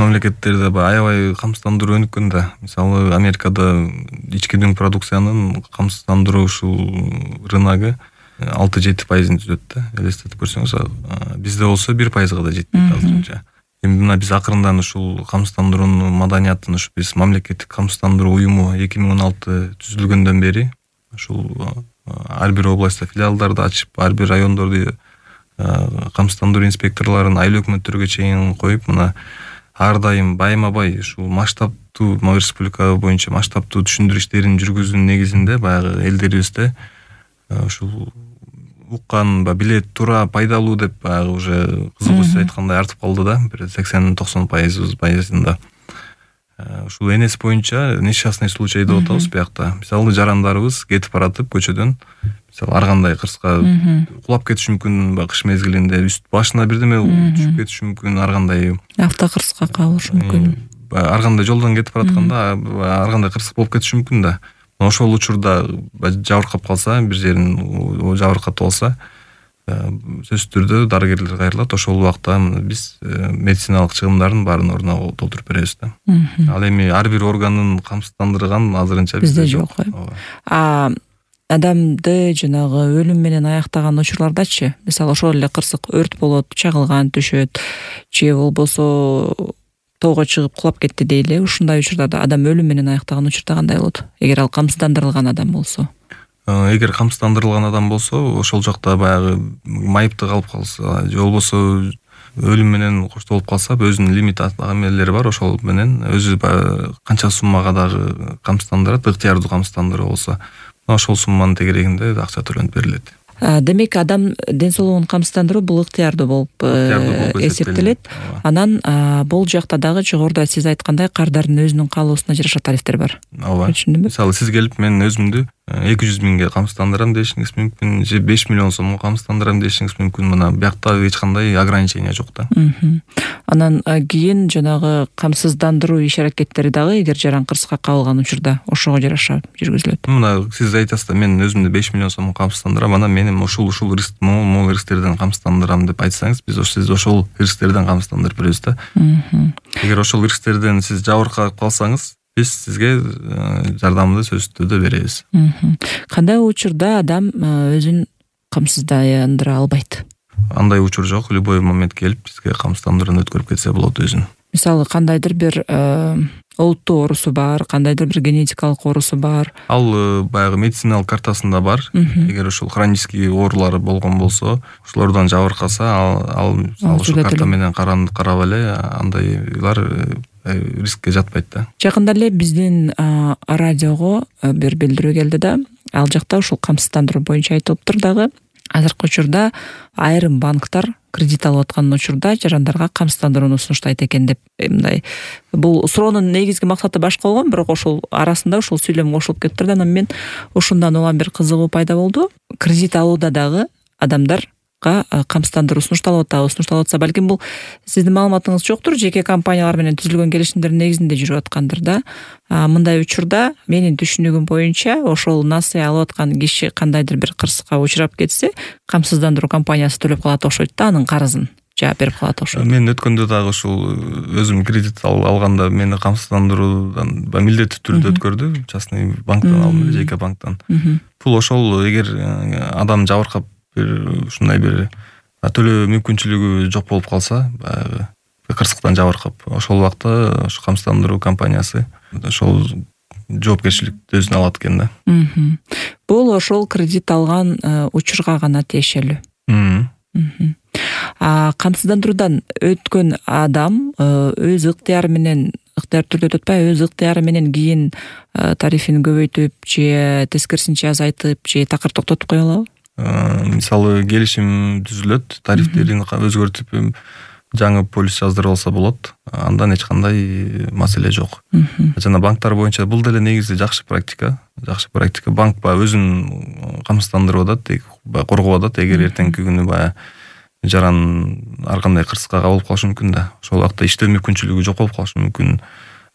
мамлекеттерде аябай камсыздандыруу өнүккөн да. Мисалы Америкада ички дүң продукциянын камсыздандыруу ушул рыногу 6-7% түзөт да. Элестетип көрсөңүз, бизде болсо 1%га да жетпейт азырынча. Эми мына биз акырындан ушул камсыздандыруунун маданиятын ушу биз мамлекеттик камсыздандыруу уюму 2016 түзүлгөндөн бери ушул ар бир областта филиалдарды ачып, ар бир райондорду камсыздандыруу инспекторлорун айыл өкмөттөргө чейин коюп, мына ар дайым байма-бай ушул масштабтуу республика боюнча масштабтуу түшүндүрүү иштерин жүргүзүүнүн негизинде баягы элдерибизде ушул уккан, билет туура пайдалуу деп баягы уже кызыгуу сиз айткандай артып калды да, бир 80-90%. Ушул НС боюнча несчастный случай деп атабыз биякта. Мисалы жарандарыбыз кетип баратып көчөдөн, мисалы ар кандай кырска кулап кетиши мүмкүн, кыш мезгилинде үст башына бирдеме түшүп кетиши мүмкүн, ар кандай автокырсыкка калышы мүмкүн. Ар кандай жолдон кетип баратканда ар кандай кырсык болуп кетиши мүмкүн да. Ошол учурда жабыркап калса, бир жерин жабыркатып алса, сөзсүз түрдө дарыгерлер кайрылат. Ошол убакта биз медициналык чыгымдардын баарын ордуна толтуруп беребиз да. Ал эми ар бир органын камсыздандырган азырынча бизде жок. Адамды жанагы өлүм менен аяктаган учурлардачы, мисалы ошол эле кырсык өрт болот, чагылган түшөт, же болбосо тоого чыгып кулап кетти дейли. Ушундай учурларда адам өлүм менен аяктаган учурда кандай болот? Эгер ал камсыздандырылган адам болсо. Эгер камсыздандырылган адам болсо, ошол жакта баягы майыптык алып калса, же болбосо өлүм менен коштолуп калса, өзүнүн лимит эмелери бар, ошол менен өзү канча суммага дагы камсыздандырат, ыктыярдуу камсыздандыруу болсо, ошол сумманын тегерегинде акча төлөнүп берилет. Демек адам ден соолугун камсыздандыруу бул ыктыярдуу болуп эсептелет. Анан бул жакта дагы жогоруда сиз айткандай кардардын өзүнүн каалоосуна жараша тарифтер бар. Ооба. Мисалы сиз келип мен өзүмдү 200 миңге камсыздандырам дешиңиз мүмкүн, же 5 миллион сомго камсыздандырам дешиңиз мүмкүн. Мына биякта эч кандай ограничение жок да. Анан кийин жанагы камсыздандыруу иш аракеттери дагы эгер жаран кырсыкка кабылган учурда ошого жараша жүргүзүлөт. Мына сиз айтасыз да, мен өзүмдү 5 миллион сомго камсыздандырам, анан менин ушул риск, могул рисктерден камсыздандырам деп айтсаңыз, биз сиз ошол рисктерден камсыздандырып беребиз да. Эгер ошол рисктерден сиз жабыркап калсаңыз, биз сизге жардамды сөзсүз түрдө беребиз. Кандай учурда адам өзүн камсыздандыра албайт? Андай учур жок, любой момент келип бизге камсыздандырууну өткөрүп кетсе болот өзүн. Мисалы кандайдыр бир олуттуу оорусу бар, кандайдыр бир генетикалык оорусу бар. Ал баягы медициналык картасында бар. Эгер ушул хронический оорулары болгон болсо, ошолордон жабыркаса, ал ушул карта менен карап эле андайлар рискке жатпайт да. Жакында эле биздин радиого бир билдирүү келди да, ал жакта ушул камсыздандыруу боюнча айтылыптыр дагы. Азыркы учурда айрым банктар кредит алып аткан учурда жарандарга камсыздандырууну сунуштайт экен деп, мындай бул суроонун негизги максаты башка болгон, бирок ошол арасында ушул сүйлөм кошулуп кетиптир да. Анан мен ушундан улам бир кызыгуу пайда болду. Кредит алууда дагы адамдарга камсыздандыруу сунушталып атса, балким бул сиздин маалыматыңыз жоктур, жеке компаниялар менен түзүлгөн келишимдердин негизинде жүрүп аткандыр да. Мындай учурда менин түшүнүгүм боюнча ошол насыя алып аткан киши кандайдыр бир кырсыкка учурап кетсе, камсыздандыруу компаниясы төлөп калат окшойт да, анын карызын жаап берип калат окшойт. Мен өткөндө дагы ушул өзүм кредит алганда мени камсыздандыруудан милдеттүү түрдө өткөрдү, частный банктан алдым эле, жеке банктан. Бул ошол эгер адам жабыркап ушундай бир төлөө мүмкүнчүлүгү жок болуп калса, баягы кырсыктан жабыркап, ошол убакта ушу камсыздандыруу компаниясы ошол жоопкерчиликти өзүнө алат экен да. Бул ошол кредит алган учурга гана тиешелүү. Камсыздандыруудан өткөн адам өз ыктыяры менен, ыктыяр түрдө өтөт атпайбы, өз ыктыяры менен кийин тарифин көбөйтүп же тескерисинче азайтып же такыр токтотуп кое алабы? Мисалы келишим түзүлөт, тарифтерин өзгөртүп жаңы полис жаздырып алса болот. Андан эч кандай маселе жок. Жана банктар боюнча бул деле негизи жакшы практика. Банк өзүн камсыздандырып атат, коргоп атат. Эгер эртеңки күнү жаран ар кандай кырсыкка кабылып калышы мүмкүн да. Ошол убакта иштөө мүмкүнчүлүгү жок болуп калышы мүмкүн.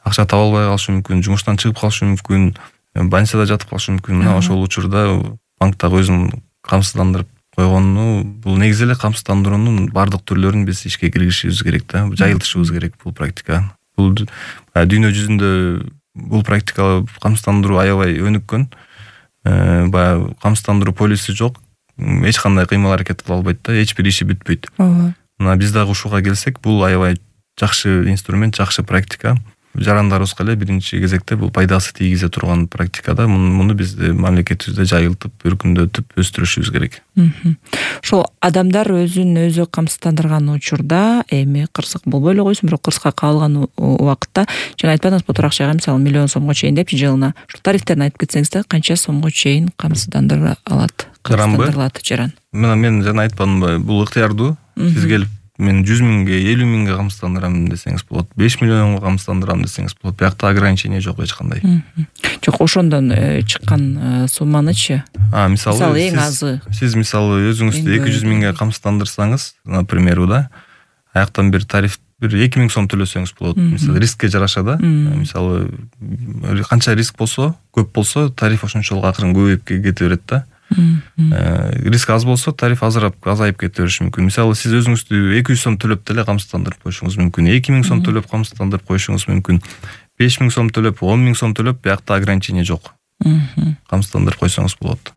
Акча таба албай калышы мүмкүн, жумуштан чыгып калышы мүмкүн, больницада жатып калышы мүмкүн. Мына ошол учурда банк дагы өзүн камсыздандырып койгону бул негизи эле камсыздандыруунун баардык түрлөрүн биз ишке киргизишибиз керек да, жайылтышыбыз керек бул практика. Бул дүйнө жүзүндө бул практика камсыздандыруу аябай өнүккөн. Баягы камсыздандыруу полиси жок, эч кандай кыймыл аракет кыла албайт да, эч бир иши бүтпөйт. Мына биз дагы ушуга келсек, бул аябай жакшы инструмент, жакшы практика. Жарандарыбызга эле биринчи кезекте бул пайдасы тийгизе турган практикада муну биз мамлекетибизде жайылтып, өркүндөтүп, өстүрүшүбүз керек. Ошол адамдар өзүн өзү камсыздандырган учурда эми кырсык болбой эле койсун, бирок кырсыкка кабылган убакытта жана айтпадыңызбы бул акчага мисалы миллион сомго чейин депчи жылына. Ушул тарифтерин айтып кетсеңиз да, канча сомго чейин камсыздандыра алат? Камсыздандырылат жаран. Мен жана айтканымбы, бул ыктыярдуу. Сиз келип мен 100 миңге, 50 миңге камсыздандырам десеңиз болот, 5 миллионго камсыздандырам десеңиз болот. Биякта ограничение жок эч кандай. Жок, ошондон чыккан сумманычы? Мисалы эң азы. Сиз мисалы өзүңүздү 200 миңге камсыздандырсаңыз, например, аяктан бир тариф бир 2000 сом төлөсөңүз болот. Мисалы рискке жараша да. Мисалы канча риск болсо, көп болсо, тариф ошончолук акырын көбөйүп кете берет да. Риск аз болсо, тариф азайып кете бериши мүмкүн. Мисалы сиз өзүңүздү 200 сом төлөп деле камсыздандырып коюшуңуз мүмкүн. 2000 сом төлөп камсыздандырып коюшуңуз мүмкүн. 5000 сом төлөп, 10 000 сом төлөп, биякта ограничение жок. Камсыздандырып койсоңуз болот.